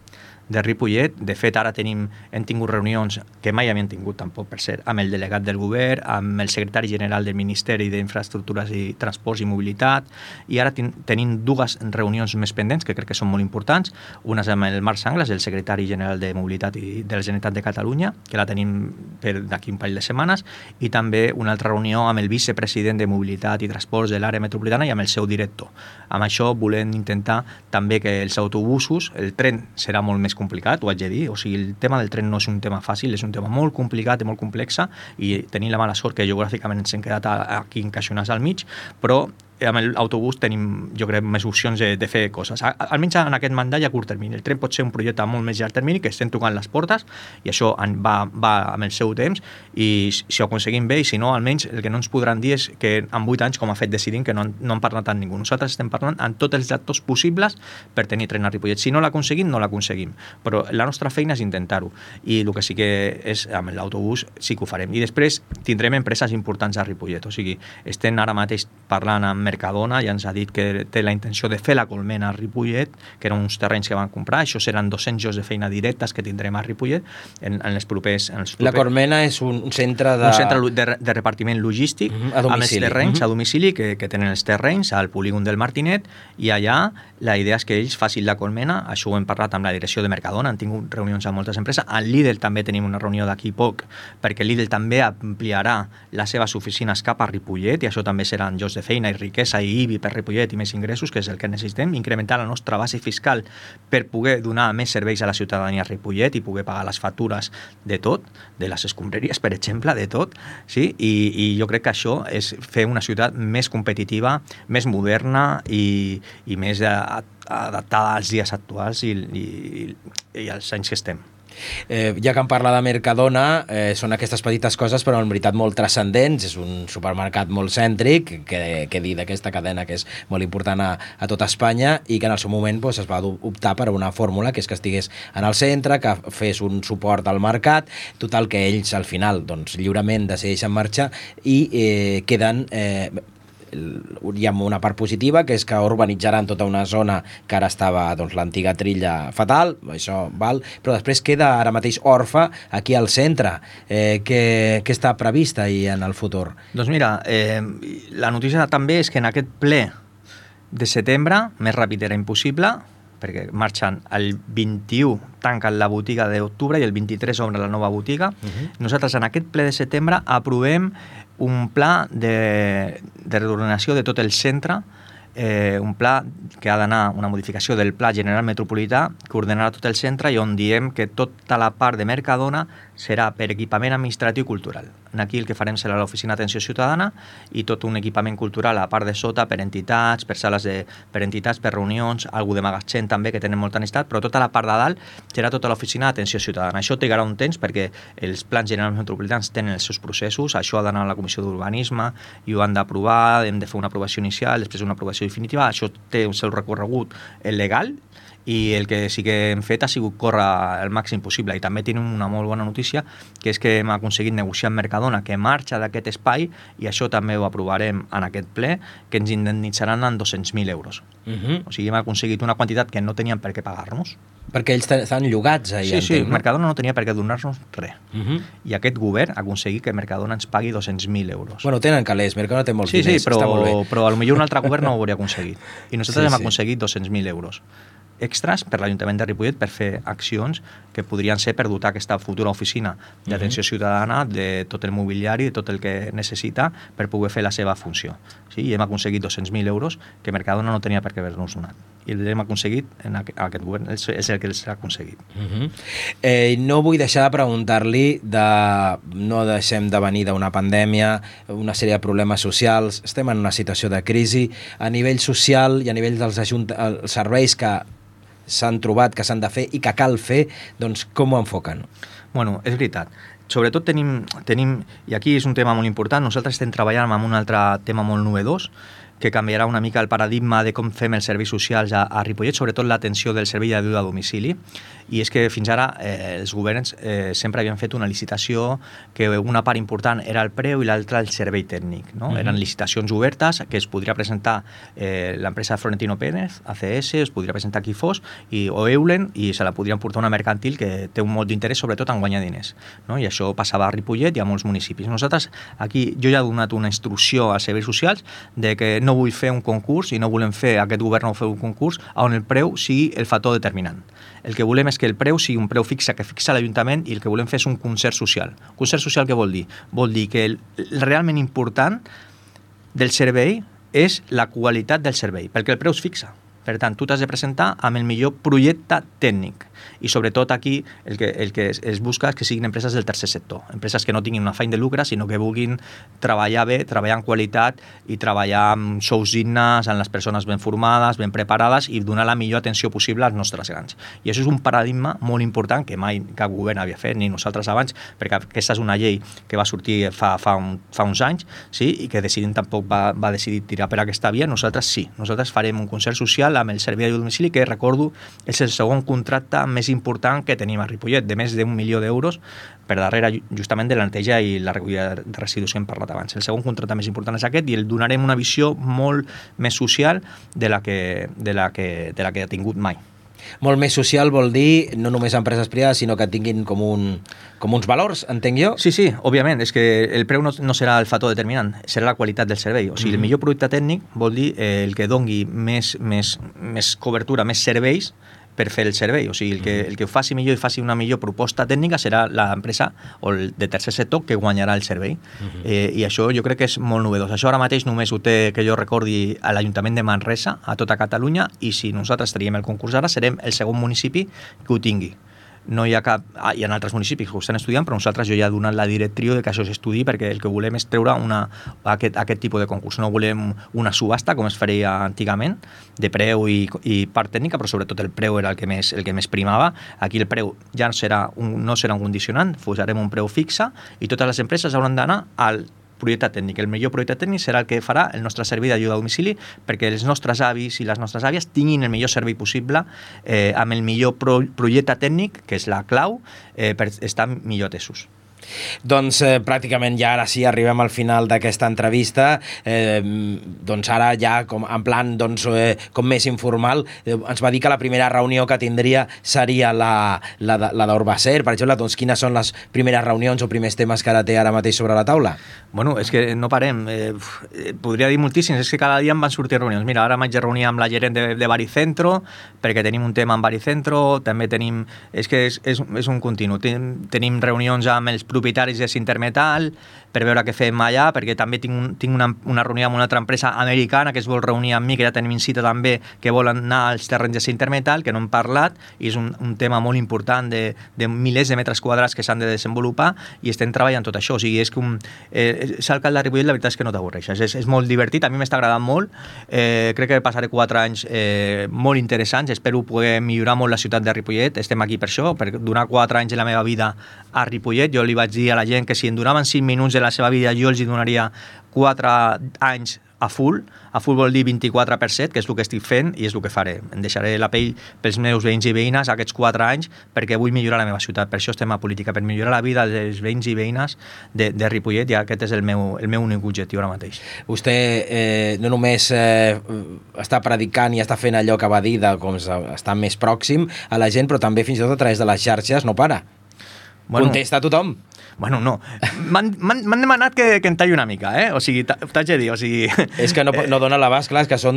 de Ripollet. De fet, ara hem tingut reunions que mai havíem tingut tampoc, per cert, amb el delegat del govern, amb el secretari general del Ministeri d'Infraestructures i Transports i Mobilitat, i ara tenim 2 reunions més pendents que crec que són molt importants. Una és amb el Marc Sanglas, el secretari general de Mobilitat i de la Generalitat de Catalunya, que la tenim per d'aquí un parell de setmanes, i també una altra reunió amb el vicepresident de Mobilitat i Transports de l'àrea metropolitana i amb el seu director. Amb això volem intentar també que els autobusos, el tren serà molt més complicat, ho haig de dir, o sigui, el tema del tren no és un tema fàcil, és un tema molt complicat i molt complex, i tenim la mala sort que geogràficament ens hem quedat aquí encaixonats al mig, però amb l'autobús tenim, jo crec, més opcions de fer coses. Almenys en aquest mandat i a curt termini. El tren pot ser un projecte molt més llarg termini, que estem tocant les portes, i això va amb el seu temps, i si ho aconseguim bé, i si no, almenys el que no ens podran dir és que en 8 anys, com ha fet decidim, que no han parlat amb ningú. Nosaltres estem parlant amb tots els actors possibles per tenir tren a Ripollet. Si no l'aconseguim, no l'aconseguim. Però la nostra feina és intentar-ho. I el que sí que és, amb l'autobús, sí que ho farem. I després tindrem empreses importants a Ripollet. O sigui, estem ara mateix parlant amb Mercadona, ja ens ha dit que té la intenció de fer la colmena a Ripollet, que eren uns terrenys que van comprar. Això seran 200 llocs de feina directes que tindrem a Ripollet en els propers... La colmena és un centre de... Un centre de repartiment logístic amb els terrenys a domicili que tenen els terrenys al polígon del Martinet, i allà la idea és que ells facin la colmena. Això ho hem parlat amb la direcció de Mercadona, han tingut reunions amb moltes empreses. Al Lidl també tenim una reunió d'aquí poc, perquè Lidl també ampliarà les seves oficines cap a Ripollet, i això també seran llocs de feina i riquesa i IBI per Ripollet i més ingressos, que és el que necessitem, incrementar la nostra base fiscal per poder donar més serveis a la ciutadania a Ripollet i poder pagar les factures de tot, de les escombraries, per exemple, de tot, sí? I jo crec que això és fer una ciutat més competitiva, més moderna i més adaptada als dies actuals i als anys que estem. Ja que em parla de Mercadona, són aquestes petites coses però en veritat molt transcendents. És un supermercat molt cèntric, que dir d'aquesta cadena que és molt important a tota Espanya, i que en el seu moment es va optar per una fórmula, que és que estigués en el centre, que fes un suport al mercat. Total, que ells al final lliurement decideixen marxar i queden... hi ha una part positiva, que és que urbanitzaran tota una zona que ara estava l'antiga trilla fatal, això val, però després queda ara mateix orfe aquí al centre. Què està previst ahir en el futur? Doncs mira, la notícia també és que en aquest ple de setembre, més ràpid era impossible, perquè marxen el 21, tanquen la botiga d'octubre i el 23 obre la nova botiga. Nosaltres en aquest ple de setembre aprovem un pla de reordenació de tot el centre, un pla que ha d'anar, una modificació del Pla General Metropolità que ordenarà tot el centre i on diem que tota la part de Mercadona serà per equipament administratiu i cultural. Aquí el que farem serà l'oficina d'atenció ciutadana i tot un equipament cultural a la part de sota per entitats, per sales per entitats, per reunions, algú de magatzem també que tenen molta necessitat, però tota la part de dalt serà tota l'oficina d'atenció ciutadana. Això trigarà un temps perquè els plans generals metropolitans tenen els seus processos, això ha d'anar a la Comissió d'Urbanisme i ho han d'aprovar, hem de fer una aprovació inicial, després una aprovació definitiva, això té el seu recorregut legal i el que sí que hem fet ha sigut córrer el màxim possible. I també tenim una molt bona notícia, que és que hem aconseguit negociar amb Mercadona que marxa d'aquest espai, i això també ho aprovarem en aquest ple, que ens indemnitzaran en 200.000 euros. O sigui, hem aconseguit una quantitat que no tenien per què pagar-nos. Perquè ells estan llogats ahir. Sí, entenc, no? Mercadona no tenia per què donar-nos res. I aquest govern ha aconseguit que Mercadona ens pagui 200.000 euros. Bueno, tenen calés, Mercadona té molts diners, però, està molt bé. Però potser un altre govern no ho hauria aconseguit. I nosaltres hem aconseguit 200.000 euros extras per l'Ajuntament de Ripollet per fer accions que podrien ser per dotar aquesta futura oficina d'atenció ciutadana de tot el mobiliari, de tot el que necessita per poder fer la seva funció. Sí? I hem aconseguit 200.000 euros que Mercadona no tenia per què haver-nos donat. I l'hem aconseguit en aquest govern, és el que s'ha aconseguit. No vull deixar de preguntar-li no deixem de venir d'una pandèmia, una sèrie de problemes socials, estem en una situació de crisi a nivell social i a nivell dels serveis que s'han trobat, que s'han de fer i que cal fer, doncs com ho enfoquen? Bueno, és veritat. Sobretot tenim, i aquí és un tema molt important, nosaltres estem treballant amb un altre tema molt novedós, que canviarà una mica el paradigma de com fem els serveis socials a Ripollet, sobretot l'atenció del servei d'ajuda a domicili. I és que fins ara els governs sempre havien fet una licitació que una part important era el preu i l'altra el servei tècnic. No? Eren licitacions obertes que es podria presentar l'empresa Florentino Pérez, ACS, es podria presentar qui fos, o Eulen, i se la podrien portar una mercantil que té un molt d'interès sobretot en guanyar diners. No? I això passava a Ripollet i a molts municipis. Nosaltres aquí, jo ja he donat una instrucció als serveis socials de que no vull fer un concurs i no volem fer, aquest govern no fer un concurs on el preu sigui el factor determinant. El que volem és que el preu sigui un preu fixe que fixa l'Ajuntament, i el que volem fer és un concert social. Concert social què vol dir? Vol dir que el realment important del servei és la qualitat del servei, perquè el preu es fixa. Per tant, tu t'has de presentar amb el millor projecte tècnic. I sobretot aquí el que es busca és que siguin empreses del tercer sector, empreses que no tinguin un afany de lucre, sinó que vulguin treballar bé, treballar en qualitat i treballar amb sous dignes, amb les persones ben formades, ben preparades i donar la millor atenció possible als nostres grans. I això és un paradigma molt important que mai cap govern havia fet, ni nosaltres abans, perquè aquesta és una llei que va sortir fa uns anys, sí? I que Decidim tampoc va decidir tirar per aquesta via. Nosaltres sí, nosaltres farem un concert social amb el servei de domicili, que recordo és el segon contracte més important que tenim a Ripollet, de més d'1 milió d'euros per darrere justament de la neteja i la recollida de residus que hem parlat abans. El segon contracte més important és aquest, i el donarem una visió molt més social de la que ha tingut mai. Molt més social vol dir no només empreses privades, sinó que tinguin com uns valors, entenc jo? Sí, òbviament, és que el preu no serà el factor determinant, serà la qualitat del servei. O sigui, el millor producte tècnic vol dir el que dongui més cobertura, més serveis per fer el servei. O sigui, el que ho faci millor i faci una millor proposta tècnica serà l'empresa o el de tercer sector que guanyarà el servei. I això jo crec que és molt novedós. Això ara mateix només ho té, que jo recordi, a l'Ajuntament de Manresa, a tota Catalunya, i si nosaltres traiem el concurs ara, serem el segon municipi que ho tingui. No hi ha cap... hi ha altres municipis que ho estan estudiant, però nosaltres jo ja he donat la directriu de que això s'estudi, perquè el que volem és treure aquest tipus de concurs. No volem una subhasta, com es faria antigament, de preu i part tècnica, però sobretot el preu era el que més primava. Aquí el preu ja no serà un condicionant, posarem un preu fixe i totes les empreses hauran d'anar al projecte tècnic. El millor projecte tècnic serà el que farà el nostre servei d'ajuda a domicili, perquè els nostres avis i les nostres àvies tinguin el millor servei possible amb el millor projecte tècnic, que és la clau, per estar millor atesos. Doncs pràcticament ja ara sí arribem al final d'aquesta entrevista, doncs ara ja en plan com més informal, ens va dir que la primera reunió que tindria seria la d'Urbacer, per exemple. Doncs quines són les primeres reunions o primers temes que ara té ara mateix sobre la taula? Bueno, és que no parem, podria dir moltíssims, és que cada dia em van sortir reunions. Mira, ara m'haig de reunir amb la gerent de Baricentro, perquè tenim un tema amb Baricentro, també tenim, és que és un continu, tenim reunions amb els propietaris de Sintermetal per veure què fem allà, perquè també tinc una reunió amb una altra empresa americana que es vol reunir amb mi, que ja tenim cita també, que volen anar als terrenys de Sintermetal, que no hem parlat, i és un tema molt important de milers de metres quadrats que s'han de desenvolupar, i estem treballant tot això. O sigui, és que ser alcalde de Ripollet, la veritat és que no t'avorreixes, és molt divertit, a mi m'està agradant molt, crec que passaré 4 anys molt interessants, espero poder millorar molt la ciutat de Ripollet, estem aquí per això, per donar 4 anys de la meva vida a Ripollet. Jo li vaig dir a la gent que si em donaven 5 minuts de la seva vida jo els hi donaria 4 anys a full vol dir 24 per 7, que és el que estic fent i és el que faré. Em deixaré la pell pels meus veïns i veïnes aquests 4 anys perquè vull millorar la meva ciutat, per això estem a política, per millorar la vida dels veïns i veïnes de Ripollet, i aquest és el meu únic objectiu ara mateix. Vostè no només està predicant i està fent allò que va dir de com està més pròxim a la gent, però també fins i tot a través de les xarxes no para. Bueno, contesta a tothom. Bueno, no. M'han demanat que en talli una mica, O sigui, t'haig de dir, o sigui... És que no dona l'abast, clar, és que són...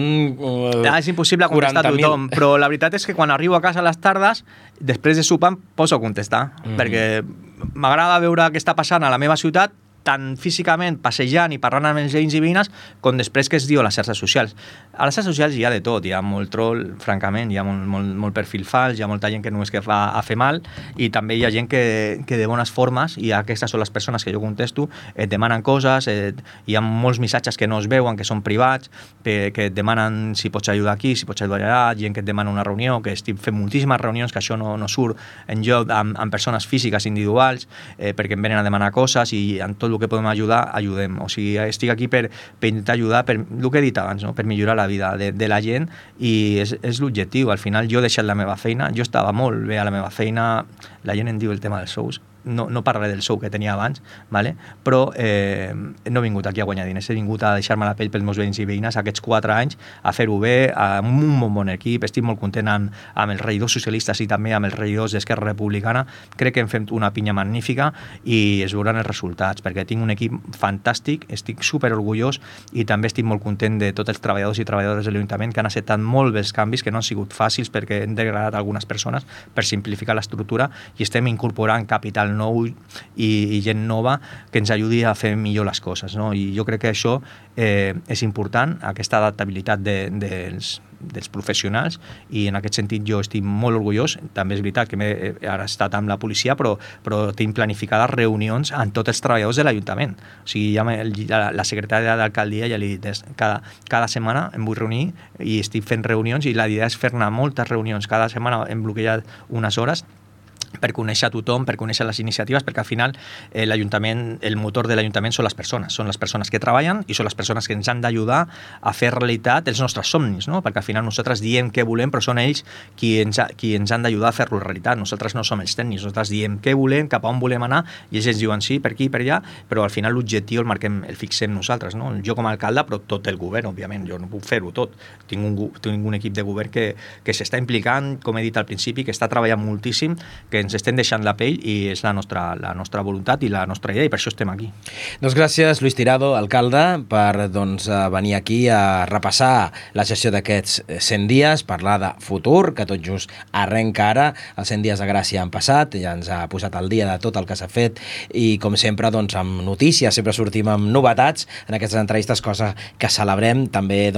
és impossible contestar a tothom, però la veritat és que quan arribo a casa a les tardes, després de sopar em poso a contestar, perquè m'agrada veure què està passant a la meva ciutat, tant físicament, passejant i parlant amb els veïns i veïnes, com després que es diu a les xarxes socials. A les xarxes socials hi ha de tot, hi ha molt troll, francament, hi ha molt perfil fals, hi ha molta gent que només que fa a fer mal, i també hi ha gent que de bones formes, i aquestes són les persones que jo contesto, et demanen coses, hi ha molts missatges que no es veuen, que són privats, que et demanen si pots ajudar aquí, si pots ajudar allà, gent que et demana una reunió, que estic fent moltíssimes reunions, que això no surt en lloc amb persones físiques individuals, perquè em venen a demanar coses, i en tot el que podem ajudar, ajudem. O sigui, estic aquí per intentar ajudar, per el que he dit abans, per millorar la vida de la gent, i és l'objectiu. Al final jo he deixat la meva feina, jo estava molt bé a la meva feina, la gent em diu el tema dels sous, no parlaré del sou que tenia abans, ¿vale? Però no he vingut aquí a guanyar diners, he vingut a deixar-me la pell pels meus veïns i veïnes aquests 4 anys, a fer-ho bé, amb un bon equip. Estic molt content amb els regidors socialistes i també amb els regidors d'Esquerra Republicana. Crec que hem fet una pinya magnífica i es veuran els resultats, perquè tinc un equip fantàstic, estic superorgullós, i també estic molt content de tots els treballadors i treballadores de l'Ajuntament que han acceptat molt bé els canvis, que no han sigut fàcils perquè hem degradat algunes persones per simplificar l'estructura, i estem incorporant capital nou i gent nova que ens ajudi a fer millor les coses, no? I jo crec que això és important, aquesta adaptabilitat dels professionals, i en aquest sentit jo estic molt orgullós. També és veritat que ara he estat amb la policia, però tinc planificades reunions amb tots els treballadors de l'Ajuntament. O sigui, la secretària d'alcaldia ja li he dit, cada setmana em vull reunir i estic fent reunions, i la idea és fer-ne moltes reunions. Cada setmana hem bloquejat unes hores per conèixer a tothom, per conèixer les iniciatives, perquè al final l'Ajuntament, el motor de l'Ajuntament són les persones que treballen i són les persones que ens han d'ajudar a fer realitat els nostres somnis, no? Perquè al final nosaltres diem què volem, però són ells qui ens han d'ajudar a fer-lo realitat. Nosaltres no som els tècnics, nosaltres diem què volem, cap a on volem anar, i ells ens diuen sí, per aquí, per allà, però al final l'objectiu el fixem nosaltres, no? Jo com a alcalde, però tot el govern, òbviament, jo no puc fer-ho tot. Tinc un equip de govern que s'està implicant, com he dit al principi, que està treballant moltíssim, que ens estem deixant la pell, i és la nostra voluntat i la nostra idea, i per això estem aquí. Doncs gràcies, Luis Tirado, alcalde, per venir aquí a repassar la gestió d'aquests 100 dies, parlar de futur, que tot just arrenca ara. Els 100 dies de Gràcia han passat, ja ens ha posat al dia de tot el que s'ha fet, i com sempre, amb notícies, sempre sortim amb novetats en aquestes entrevistes, cosa que celebrem també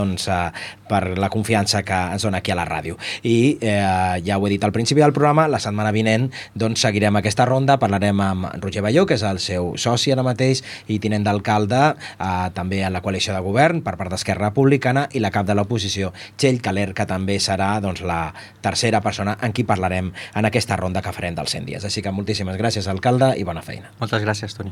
per la confiança que ens dona aquí a la ràdio. I ja ho he dit al principi del programa, la setmana vinent seguirem aquesta ronda, parlarem amb Roger Balló, que és el seu soci ara mateix i tinent d'alcalde, també en la coalició de govern per part d'Esquerra Republicana, i la cap de l'oposició, Txell Caler, que també serà la tercera persona en qui parlarem en aquesta ronda que farem dels 100 dies. Així que moltíssimes gràcies, alcalde, i bona feina. Moltes gràcies, Toni.